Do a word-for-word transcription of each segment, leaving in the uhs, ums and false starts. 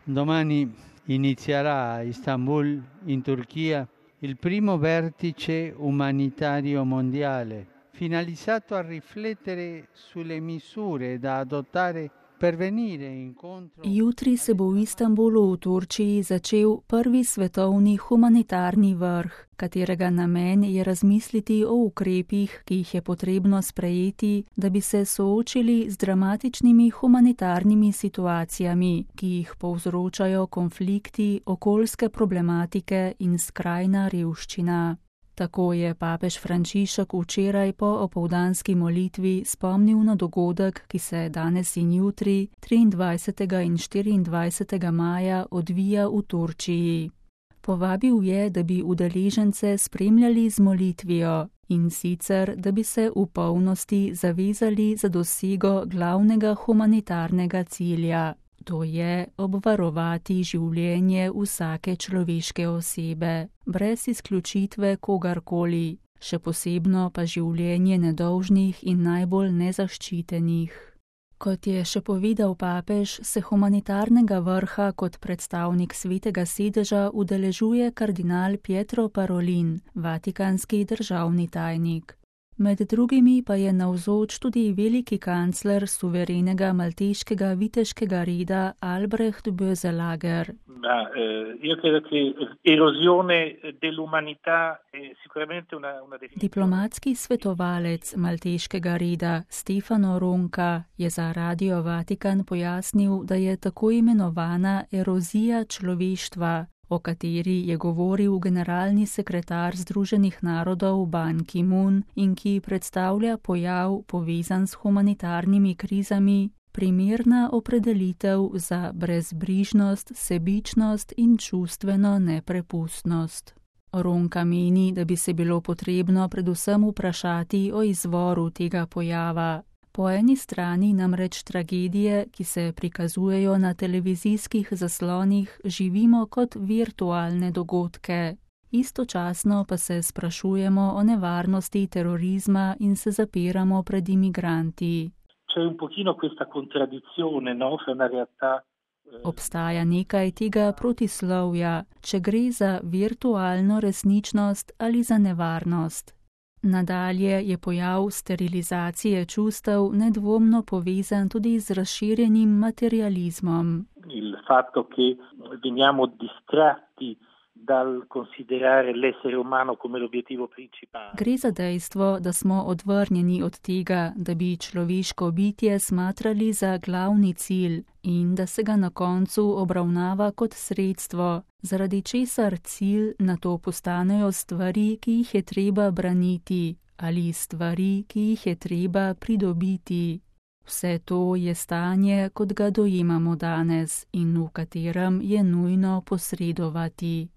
Domani inizierà a Istanbul, in Turchia, il primo vertice umanitario mondiale, finalizzato a riflettere sulle misure da adottare per venire incontro. Jutri se bo v Istanbulu v Turčiji začel prvi svetovni humanitarni vrh, katerega namen je razmisliti o ukrepih, ki jih je potrebno sprejeti, da bi se soočili z dramatičnimi humanitarnimi situacijami, ki jih povzročajo konflikti, okoljske problematike in skrajna revščina. Tako je papež Frančišek včeraj po opoldanski molitvi spomnil na dogodek, ki se danes in jutri, triindvajsetega in štiriindvajsetega maja, odvija v Turčiji. Povabil je, da bi udeležence spremljali z molitvijo, in sicer, da bi se v polnosti zavezali za dosego glavnega humanitarnega cilja. To je obvarovati življenje vsake človeške osebe, brez izključitve kogarkoli, še posebno pa življenje nedolžnih in najbolj nezaščitenih. Kot je še povedal papež, se humanitarnega vrha kot predstavnik Svetega sedeža udeležuje kardinal Pietro Parolin, vatikanski državni tajnik. Med drugimi pa je navzoč tudi veliki kancler suverenega malteškega viteškega reda Albrecht Böselager. Ma, eh, io credo che erosione dell'umanità è sicuramente una, una definizione. Diplomatski svetovalec malteškega reda Stefano Ronca je za Radio Vatikan pojasnil, da je tako imenovana erozija človeštva, o kateri je govoril generalni sekretar Združenih narodov Ban Ki-moon in ki predstavlja pojav povezan s humanitarnimi krizami, primerna opredelitev za brezbrižnost, sebičnost in čustveno neprepustnost. Ronka meni, da bi se bilo potrebno predvsem vprašati o izvoru tega pojava. Po eni strani namreč tragedije, ki se prikazujejo na televizijskih zaslonih, živimo kot virtualne dogodke. Istočasno pa se sprašujemo o nevarnosti terorizma in se zapiramo pred imigranti. C'è un pochino questa contraddizione, no, fra una realtà. Obstaja nekaj tega protislovja, če gre za virtualno resničnost ali za nevarnost. Nadalje je pojav sterilizacije čustev nedvomno povezan tudi z razširjenim materializmom. Il fatto che veniamo distratti dal considerare l'essere umano come l'obiettivo principale. Gre za dejstvo, da smo odvrnjeni od tega, da bi človeško bitje smatrali za glavni cilj in da se ga na koncu obravnava kot sredstvo, zaradi česar cilj nato postanejo stvari, ki jih je treba braniti, ali stvari, ki jih je treba pridobiti. Vse to je stanje, kot ga dojemamo danes in v katerem je nujno posredovati.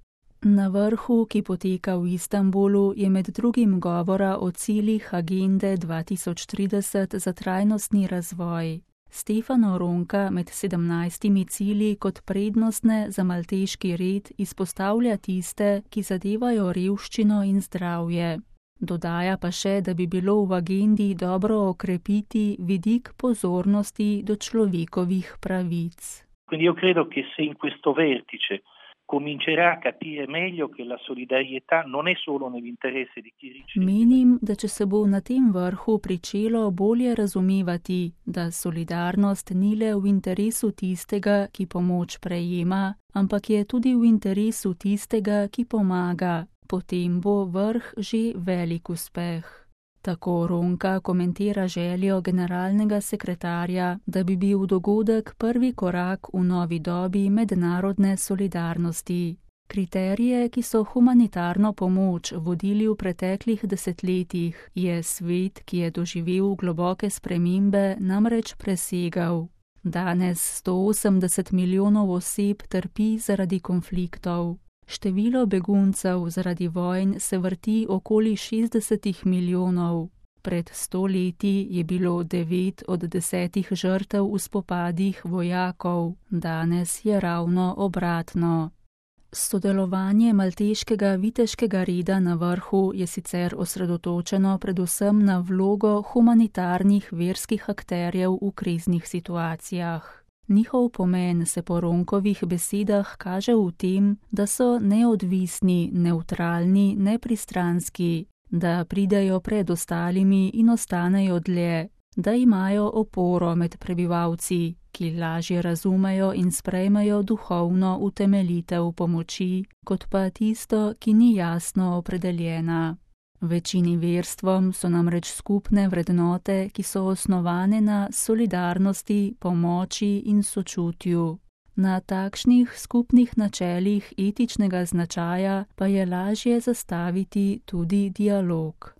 Na vrhu, ki poteka v Istanbulu, je med drugim govora o ciljih agende dva tisoč trideset za trajnostni razvoj. Stefano Ronca med sedemnajstimi cilji kot prednostne za malteški red izpostavlja tiste, ki zadevajo revščino in zdravje. Dodaja pa še, da bi bilo v agendi dobro okrepiti vidik pozornosti do človekovih pravic. Quindi io credo che se in questo vertice comincerà a capire meglio che la solidarietà non è solo nell'interesse di chi riceve. Menim, da če se bo na tem vrhu pričelo bolje razumevati, da solidarnost ni le v interesu tistega, ki pomoč prejema, ampak je tudi v interesu tistega, ki pomaga, potem bo vrh že velik uspeh. Tako Ronca komentira željo generalnega sekretarja, da bi bil dogodek prvi korak v novi dobi mednarodne solidarnosti. Kriterije, ki so humanitarno pomoč vodili v preteklih desetletjih, je svet, ki je doživel globoke spremembe, namreč presegal. Danes sto osemdeset milijonov oseb trpi zaradi konfliktov. Število beguncev zaradi vojn se vrti okoli šestdeset milijonov. Pred sto leti je bilo devet od desetih žrtev v spopadih vojakov, danes je ravno obratno. Sodelovanje malteškega viteškega reda na vrhu je sicer osredotočeno predvsem na vlogo humanitarnih verskih akterjev v kriznih situacijah. Njihov pomen se po Ronkovih besedah kaže v tem, da so neodvisni, nevtralni, nepristranski, da pridejo pred ostalimi in ostanejo dlje, da imajo oporo med prebivalci, ki lažje razumejo in sprejmejo duhovno utemeljitev pomoči, kot pa tisto, ki ni jasno opredeljena. Večini verstvom so namreč skupne vrednote, ki so osnovane na solidarnosti, pomoči in sočutju. Na takšnih skupnih načelih etičnega značaja pa je lažje zastaviti tudi dialog.